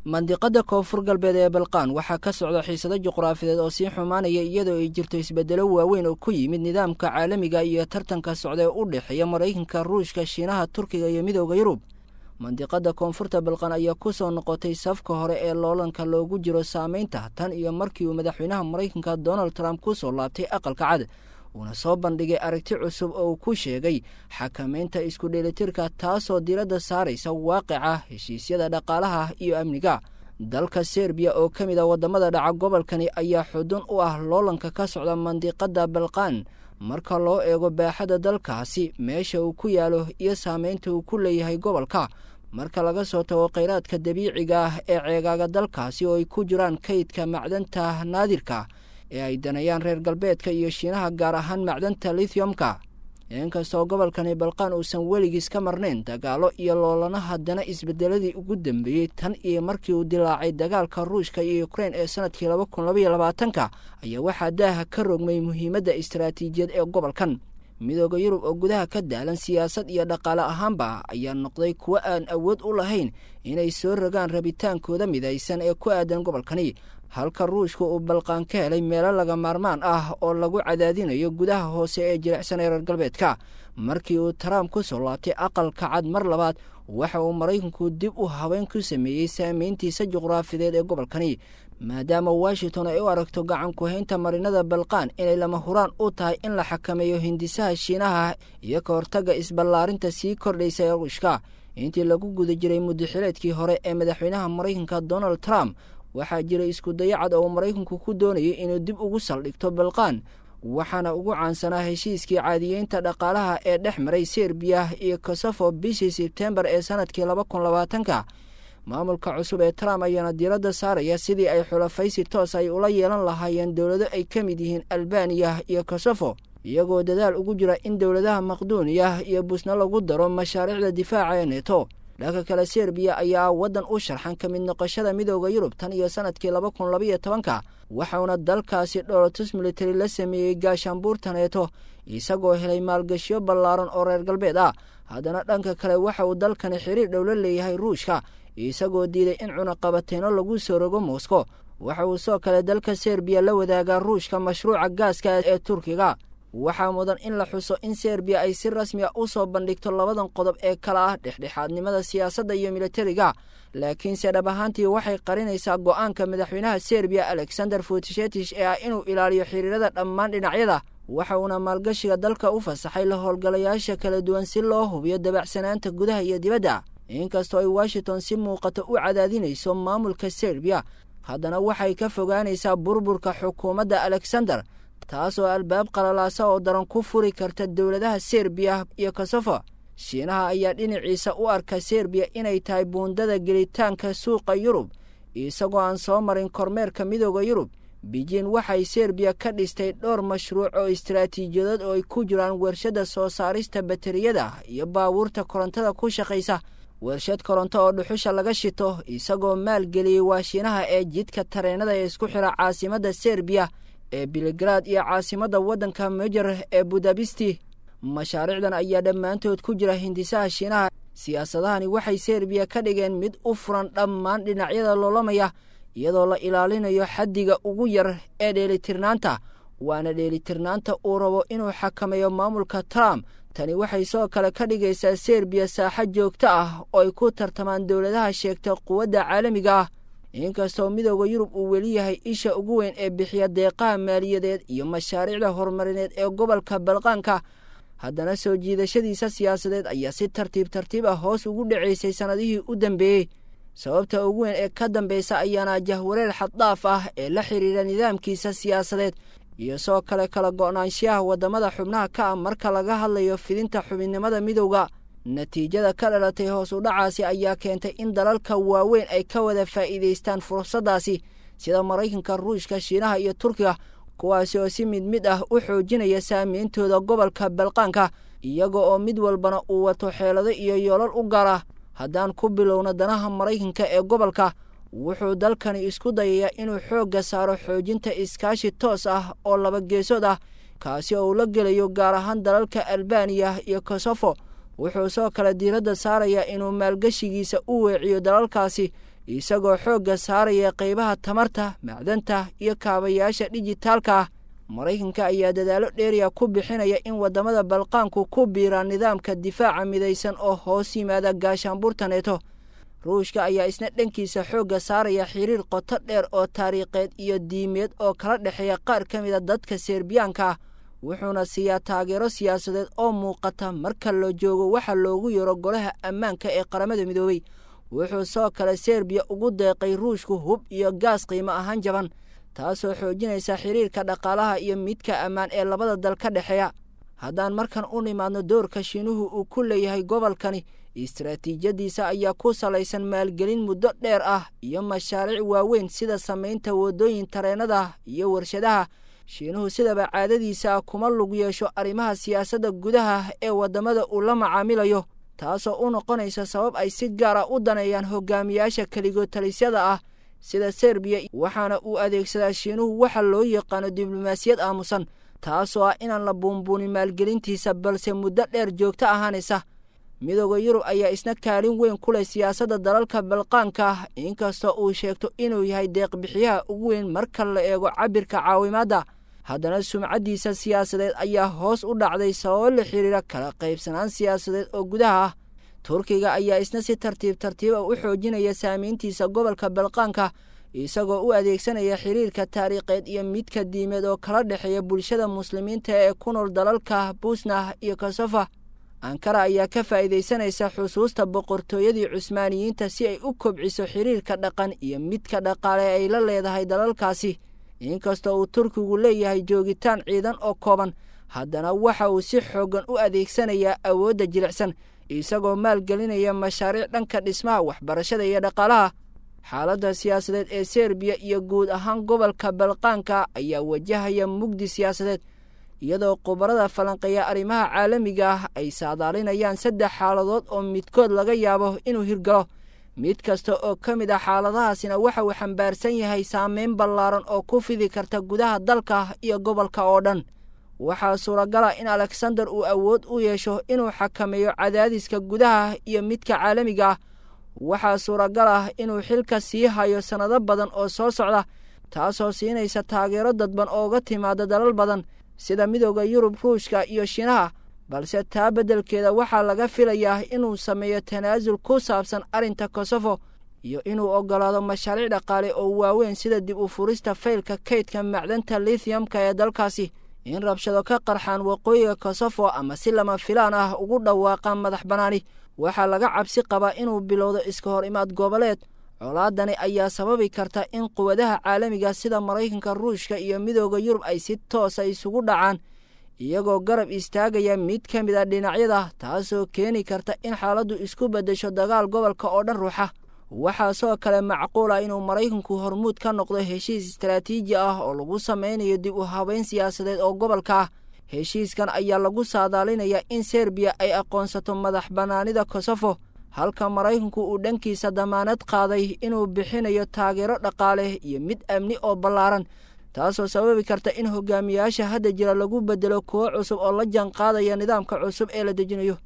Mandiqada Koonfur Galbeed ee Balqaan waxaa ka socda xiisado juqraafideed oo sii xumaanaya, iyadoo ay jirto isbedelo waaweyn oo ku yimid nidaamka caalamiga iyo tartanka socda ee u dhexeeya Maraykanka, Ruushka, Shiinaha, Turkiga iyo Midooda Yurub. Mandiqada Koonfurta Balqaan ayaa ku soo noqotay safka hore ee loolanka loogu jiro saameynta tan iyo markii uu madaxweynaha Maraykanka Donald Trump ku soo laabtay Aqalka Cad, uuna soo bandhigay aragti cusub oo uu ku sheegay xakameynta isku dheelitirka, taasoo diiradda saaraysa waaqica heshiisyada dhaqaalaha iyo amniga. Dalka Serbiya oo ka mid ah waddamada dhaca gobolkani ayaa xudun u ah loolanka ka socda mandiqada Balqaan marka loo eego baaxadda dalkaasi, meesha uu ku yaalo iyo saameynta uu ku leeyahay gobolka, marka laga soo tago kheyraadka dabiiciga ah ee ceegaaga dalkaasi oo ay ku jiraan kaydka macdanta naadirka ee ay danayaan reer galbeedka iyo Shiinaha, gaar ahaan macdanta lithiumka. Inkastoo gobolkani Balqaan uusan weligiis ka marnayn dagaalo iyo loolana, haddana isbedeladii ugu dambeeyey tan iyo markii uu dilaacay dagaalka Ruushka iyo Ukrein ee sanadkii 2022-ka ayaa waxaa daaha ka rogmay muhiimadda istaraatiijiyad ee gobolkan. Midooda Yurub oo gudaha ka daalan siyaasad iyo dhaqaale ahaanba ayaa noqday kuwo aan awood u lahayn inay soo rogaan rabitaankooda midaysan ee ku aadan gobolkani, halka Ruushka uu Balqaan ka helay meelo laga maarmaan ah oo lagu cadaadinayo gudaha hoose ee jilicsan ee reer galbeedka. Markii uu Trump ku soo laabtay Aqalka Cad mar labaad, waxa uu Maraykanku dib u habeyn ku sameeyey saameyntiisa juqraafideed ee gobolkani, maadaama Washington ay u aragto gacan ku-haynta marinada Balqaan inay lama huraan u tahay in la xakameeyo hindisaha Shiinaha iyo ka hortagga isballaarinta sii kordhaysa ee Ruushka. Intii lagu guda jiray muddaxileedkii hore ee madaxweynaha Maraykanka Donald Trump, waxaa jiray isku dayacad oo uu Maraykanku ku doonayay inuu dib ugu saldhigto Balqaan, waxaana ugu caansanaa heshiiskii caadiyeynta dhaqaalaha ee dhex maray Serbiya iyo Kosofo bishii Sebtembar ee sanadkii 2020-ka. Maamulka cusub ee Trump ayaana diiradda saaraya sidii ay xulafaysi toos ay ula yeelan lahaayeen dowlado ay ka mid yihiin Albaniya iyo Kosofo, iyagoo dadaal ugu jira in dowladaha Maqduuniya iyo Busna lagu daro mashaariicda difaaca ee Neto. Dhanka kale, Serbiya ayaa waddan u sharxan ka mid noqoshada Midooda Yurub tan iyo sanadkii 2012-ka, waxauna dalkaasi dhoolotus military la sameeyey gaashaanbuurta Neeto, isagoo helay maalgashiyo ballaaran oo reer galbeed ah. Haddana dhanka kale, waxa uu dalkani xiriir dhow la leeyahay Ruushka, isagoo diiday in cunaqabateyno lagu soo rogo Moscow. Waxa uu sidoo kale dalka Serbiya la wadaagaa Ruushka mashruuca gaaska ee Turkiga. Waxaa mudan in la xuso in Serbiya ay si rasmi a u soo bandhigto labadan qodob ee kala ah dhexdhexaadnimada siyaasadda iyo militariga, laakiinse dhab ahaantii waxay qarinaysaa go'aanka madaxweynaha Serbiya Alexander Futshetich ee ah inuu ilaaliyo xiriirada dhammaan dhinacyada. Waxa uuna maalgashiga dalka u fasaxay la howlgalayaasha kala duwan si loo hubiyo dabacsanaanta gudaha iyo dibadda. Inkastoo ay Washington si muuqato u cadaadinayso maamulka Serbiya, haddana waxay ka fogaanaysaa burburka xukuumadda Alexander, taasoo albaab qalalaasa oo daran ku furi karta dowladaha Serbiya iyo Kosofo. Shiinaha ayaa dhinaciisa u arka Serbiya inay tahay buundada gelitaanka suuqa Yurub, isagoo aan soo marin kormeerka Midooda Yurub. Beijing waxay Serbiya ka dhistay dhowr mashruuc oo istaraatiijiyadood oo ay ku jiraan warshadda soo saarista bateriyada iyo baabuurta korontada ku shaqaysa, warshad koronto oo dhuxusha laga shito, isagoo maalgeliyey waa Shiinaha ee jidka tareenada ee isku xira caasimadda Serbiya ee Belgrad iyo caasimadda waddanka Mejer ee Budabisti. Mashaariicdan ayaa dhammaantood ku jira hindisaha Shiinaha. Siyaasadahani waxay Serbiya ka dhigeen mid u furan dhammaan dhinacyada loolamaya, iyadoo la ilaalinayo xaddiga ugu yar ee dheelitirnaanta, waana dheelitirnaanta uu rabo inuu xakameeyo maamulka Trump. Tani waxay sidoo kale ka dhigaysaa Serbiya saaxo joogto ah oo ay ku tartamaan dowladaha sheegta quwadda caalamiga ah. Inkastoo Midooda Yurub uu weli yahay isha ugu weyn ee bixiya deeqaha maaliyadeed iyo mashaariicda horumarineed ee gobolka Balqaanka, haddana soo jiidashadiisa siyaasadeed ayaa si tartiib tartiib ah hoos ugu dhacaysay sannadihii u dambeeyey. Sababta ugu weyn ee ka dambeysa ayaana jahwareer xaddaaf ah ee la xiriira nidaamkiisa siyaasadeed iyo sidoo kale kala go'naanshiyaha waddamada xubnaha ka ah marka laga hadlayo fidinta xubinnimada midowda. Natiijada ka dhalatay hoos u dhacaasi ayaa keentay in dalalka waaweyn ay ka wada faa'iidaystaan fursaddaasi, sida Maraykanka, Ruushka, Shiinaha iyo Turkiga, kuwaasi oo si mid mid ah u xoojinaya saameyntooda gobolka Balqaanka, iyaga oo mid walbana uu wato xeelado iyo yoolal u gaar ah. Haddaan ku bilowno danaha Maraykanka ee gobolka, wuxuu dalkani isku dayayaa inuu xoogga saaro xoojinta iskaashi toos ah oo laba geesood ah, kaasi oo uu la gelayo gaar ahaan dalalka Albaniya iyo Kosofo. Wuxuu sidoo kale diiradda saarayaa inuu maalgashigiisa u weeciyo dalalkaasi, isagoo xoogga saaraya qaybaha tamarta, macdanta iyo kaabayaasha dhijitaalka ah. Maraykanka ayaa dadaallo dheeriya ku bixinaya in waddamada Balqaanku ku biiraan nidaamka difaaca midaysan oo hoos yimaada gaashaanbuurta Neeto. Ruushka ayaa isna dhankiisa xoogga saaraya xiriir qoto dheer oo taariikheed iyo diimeed oo kala dhexeeya qaar ka mid a dadka Serbiyaanka ah, wuxuuna siiyaa taageero siyaasadeed oo muuqata marka la joogo waxa loogu yeero Golaha Ammaanka ee Qaramada Midoobay. Wuxuu sidoo kale Serbiya ugu deeqay Ruushku hub iyo gaas qiimo ahaan jaban, taasoo xoojinaysa xiriirka dhaqaalaha iyo midka ammaan ee labada dal ka dhexeeya. Haddaan markan u nimaadno doorka Shiinuhu uu ku leeyahay gobolkani, istaraatiijiyadiisa ayaa ku salaysan maalgelin muddo dheer ah iyo mashaariic waaweyn sida samaynta waddooyin, tareennada iyo warshadaha. Shiinuhu sidaba caadadiisa ah kuma lug yeesho arrimaha siyaasadda gudaha ee waddamada uu la macaamilayo, taasoo u noqonaysa sabab ay si gaar ah u daneeyaan hogaamiyaasha keligood talisyada ah sida Serbiya. Waxaana uu adeegsadaa Shiinuhu waxa loo yaqaano diblomaasiyad aamusan, taasoo ah inaan la buunbuunin maalgelintiisa balse muddo dheer joogto ahaanaysa. Midooda Yurub ayaa isna kaalin weyn ku leh siyaasadda dalalka Balqaanka ah, inkastoo uu sheegto inuu yahay deeqbixiyaha ugu weyn marka la eego cabbirka caawimaadda. Haddana sumcaddiisa siyaasadeed ayaa hoos u dhacday sababo la xiriira kala qaybsanaan siyaasadeed oo gudaha ah. Turkiga ayaa isna si tartiib tartiiba u xoojinaya saamayntiisa gobolka Balqaanka, isagoo u adeegsanaya xiriirka taariikheed iyo midka diimeed oo kala dhexeeya bulshada muslimiinta ee ku nool dalalka Busnah iyo Kosofa. Ankara ayaa ka faa'iidaysanaysa xusuusta boqortooyadii Cusmaaniyiinta si ay u kobciso xiriirka dhaqan iyo midka dhaqaale ay la leedahay dalalkaasi. Inkastoo uu Turkigu leeyahay joogitaan ciidan oo kooban, haddana waxa uu si xooggan u adeegsanayaa awoodda jilicsan, isagoo maalgelinaya mashaariic dhanka dhismaha, waxbarashada iyo dhaqaalaha. Xaaladda siyaasadeed ee Serbiya iyo guud ahaan gobolka Balqaanka ayaa wajahaya mugdi siyaasadeed, iyadoo khubarada falanqeeya arrimaha caalamiga ah ay saadaalinayaan saddex xaaladood oo midkood laga yaabo inuu hirgalo. Mid kasta oo ka mid ah xaaladahaasina waxa uu xambaarsan yahay saameyn ballaaran oo ku fidi karta gudaha dalka iyo gobolka oo dhan. Waxaa suuragala in Alexander uu awood u yeesho inuu xakameeyo cadaadiska gudaha iyo midka caalamiga ah. Waxaa suuragal ah inuu xilka sii hayo sannado badan oo soo socda, taasoo siinaysa taageero dadban oo uga timaada dalal badan sida Midooda Yurub, Ruushka iyo Shiinaha. Balse taa beddelkeeda waxaa laga filayaa inuu sameeyo tanaasul ku saabsan arrinta Kosofo iyo inuu oggolaado mashaariic dhaqaale oo waaweyn sida dib u furista faylka kaydka macdanta lithiumka ee dalkaasi. In rabshado ka qarxaan waqooyiga Kosofo ama si lama filaan ah ugu dhawaaqaan madax bannaani, waxaa laga cabsi qabaa inuu bilowdo iska hor imaad goboleed. Colaadani ayaa sababi karta in quwadaha caalamiga sida Maraykanka, Ruushka iyo Midooda Yurub ay si toosa isugu dhacaan, iyagoo garab istaagaya mid ka mid a dhinacyada, taasoo keeni karta in xaaladdu isku beddesho dagaal gobolka oo dhan ruuxa. Waxaa sidoo kale macquul ah inuu Maraykanku hormuud ka noqdo heshiis istaraatiiji ah oo lagu sameynayo dib u habeyn siyaasadeed oo gobolka ah. Heshiiskan ayaa lagu saadaalinayaa in Serbiya ay aqoonsato madax bannaanida Kosofo, halka Maraykanku uu dhankiisa damaanad qaaday inuu bixinayo taageero dhaqaale iyo mid amni oo ballaaran, taasoo sababi karta in hogaamiyaasha hadda jira lagu beddelo kuwo cusub oo la jaan qaadaya nidaamka cusub ee la dejinayo.